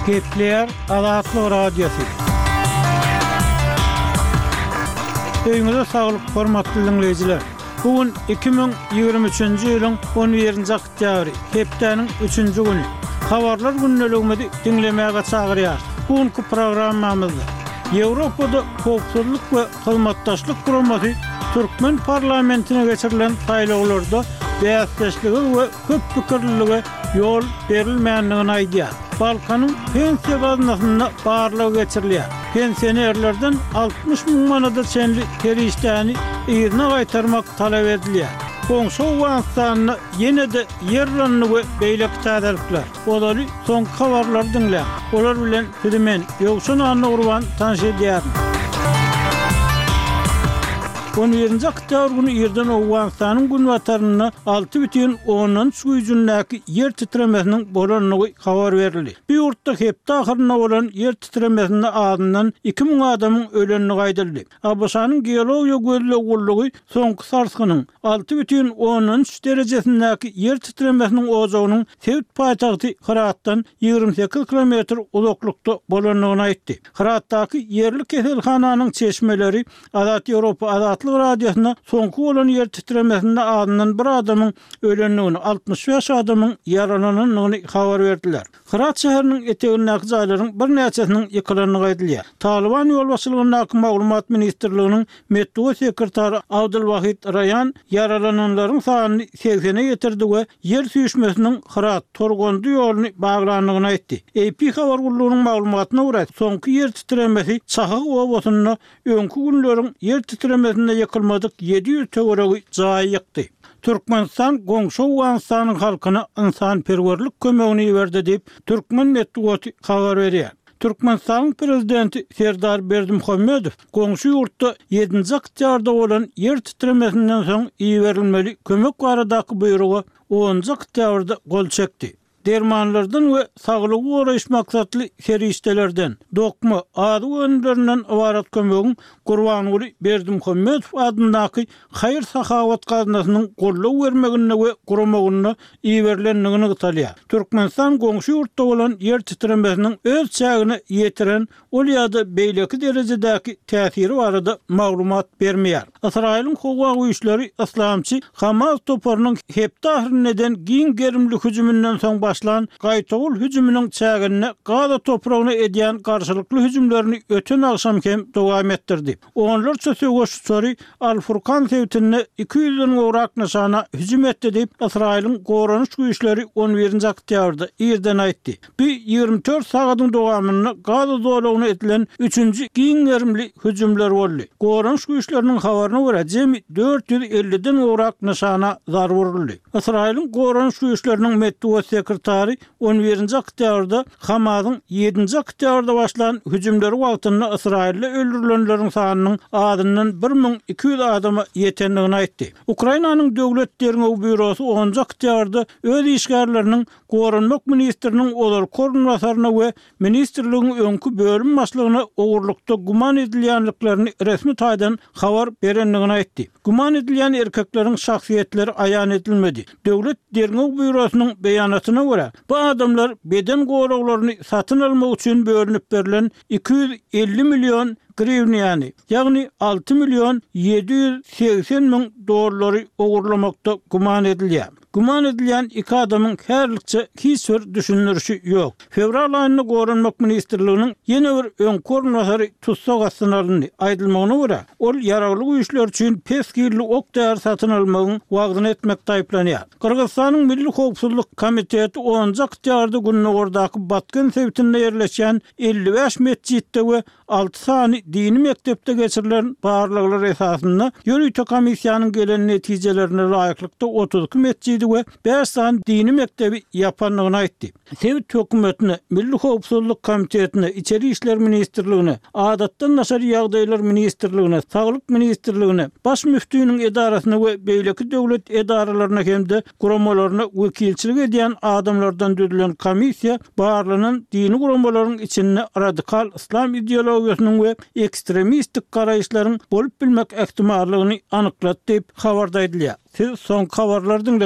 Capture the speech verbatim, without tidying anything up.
Gepleýär Azatlyk Radiosy. Öýüňize saglyk, hormatly diňleýjiler! Bu gün iki müň ýigrimi üçünji ýylyň on birinji oktýabry, hepdäniň üçünji güni. Habarlar gündeligimizi diňlemäge çagyrýarys. Bu günki programmamyzda Ýewropada Howpsuzlyk we Hyzmatdaşlyk Guramasy türkmen parlamentine geçirilen saýlawlarda bäsdeşlige we köp pikirlilige ýol berilmändigini aýdýar. Balkanyň pensiýa gaznasynda barlag geçirilýär. Pensionerlerden altmyş müň manada çenli serişdäni yzyna gaýtarmak talap edilýär. Goňşy Owganystanda ýene-de ýer yrandy we beýleki täzelikler. Ozaly soňky habarlary diňläň. Olar bilen sizi men, Ýowşan Annagurban tanyş edýärin. On birinji oktýabr güni irden Owganystanyň günbatarynda alty bütin ondan üç güýjündäki ýer titremesiniň bolandygy habar berildi. Bu ýurtda hepde ahyrynda bolan ýer titremesinde azyndan iki müň adamyň ölendigi aýdyldy. ABŞ-nyň Geologiýa gözleg gullugy soňky sarsgynyň alty bütin ondan üç derejesindäki ýer titremesiniň ojagynyň sebit paýtagty Hyratdan ýigrimi sekiz kilometr uzaklykda bolandygyny aýtdy. Hyratdaky ýerli keselhananyň çeşmeleri Azat Ýewropa Azatlyk Radiosyna soňky bolan ýer titremesinde azyndan bir adamyň ölendigini, altmyş bäş adamyň ýaralanandygyny habar berdiler. Hyrat şäheriniň etegindäki jaýlaryň birnäçesiniň ýykylandygy aýdylýar. Talyban ýolbaşçylygyndaky Maglumat ministrliginiň metbugat sekretary Abdulwahid Raýan ýaralananlaryň sanyny segsene ýetirdi we ýer süýşmesiniň Hyrat, Torgondy ýoluny baglandygyny aýtdy. AP habar gullugynyň maglumatyna görä, soňky ýer titremesi Çahyg obasynda öňki günleriň ýer titremesinde ýykylmadyk ýedi ýüz töweregi jaýy ýykdy. Türkmenistan goňşy Owganystanyň halkyna ynsanperwerlik kömegini iberdi diýip, türkmen metbugaty habar berýär. Türkmenistanyň Prezidenti Serdar Berdimuhamedow goňşy ýurtda ýedinji oktýabrda bolan ýer titremesinden soň iberilmeli kömek baradaky buýruga onunjy oktýabrda gol çekdi. Dermanlardan we saglygy goraýyş maksatly serişdelerden, dokma, azyk önümlerinden ybarat kömegiň Gurbanguly Berdimuhamedow adyndaky haýyr-sahawat gaznasynyň goldaw bermeginde we guramagynda iberilendigi nygtalýar. Türkmenistan goňşy ýurtda bolan ýer titremesiniň öz çägine ýetiren ol ýa-da beýleki derejedäki täsiri barada maglumat bermeýär. Ysraýylyň howa güýçleri yslamçy Hamas toparynyň hepde ahyrynda eden giň gerimli hüjüminden soň başlan gaýtawul hüjüminiň çäginde Gaza topragyna edýän garşylykly hüjümlerini öten agşam hem dowam etdirdi. Onlarça söweş uçary Al-Furkan sebitinde iki ýüzden gowrak nyşana hüjüm etdi diýip, Ysraýylyň goranyş güýçleri on birinji oktýabrda irden aýtdy. Bu ýigrimi dört sagadyň dowamynda Gaza zolagyna edilen üçünji giň gerimli hüjümler boldy. Goranyş güýçleriniň habaryna görä, jemi dört ýüz elliden gowrak nyşana zarba uruldy. Ysraýylyň goranyş güýçleriniň metbugat sekretary on birinji oktýabrda Hamasyň ýedinji oktýabrda başlan hüjümleri wagtynda Ysraýylda öldürilenleriň sanynyň azyndan bir müň iki ýüz adama ýetendigini aýtdy. Ukrainanyň Döwlet derňew býurosy onunjy oktýabrda öz işgärleriniň Goranmak ministriniň ozalky orunbasaryna we ministrligiň öňki bölüm başlygyna ogurlykda güman edilýändiklerini resmi taýdan habar berendigini aýtdy. Güman edilýän erkekleriň şahsyýetleri aýan edilmedi. Döwlet derňew býurosynyň beýanatyna görä, bu adamlar beden goraglaryny satyn almak üçin bölünip berlen iki ýüz elli million griwniýany, ýagny alty million ýedi ýüz segsen müň dollary ogurlamakda güman edilýär. Güman edilýän iki adamyň häzirlikçe hiç bir düşündirişi ýok. Fewral aýynda Goranmak ministrliginiň ýene bir öňki orunbasary tussag astyna alyndy. Aýdylmagyna görä, ol ýaragly güýçler üçin pes hilli ok-däri satyn almagyň wagzyny etmekde aýyplanýar. Gyrgyzystanyň Milli howpsuzlyk komiteti onunjy oktýabrda gündogardaky Batken sebitinde ýerleşýän elli bäş metjitde we alty sany dini mekdepde geçirilen barlaglar esasynda ýörite komissiýanyň gelen netijelerine laýyklykda otuz iki metjidi we bäş sany dini mekdebi ýapandygyny aýtdy. Sebit hökümetine, Milli howpsuzlyk komitetine, Içeri işler ministrligine, Adatdan daşary ýagdaýlar ministrligine, Saglyk ministrligine, Baş müftiniň edarasyna we beýleki döwlet edaralaryna hem-de guramalaryna wekilçilik edýän adamlardan düzülen komissiýa barlanan dini guramalaryň içinde radikal yslam ideologiýasynyň we ekstremistik garaýyşlaryň bolup bilmek ähtimallygyny anyklady diýip, habarda aýdylýar. Siz soňky habarlary diňlediňiz.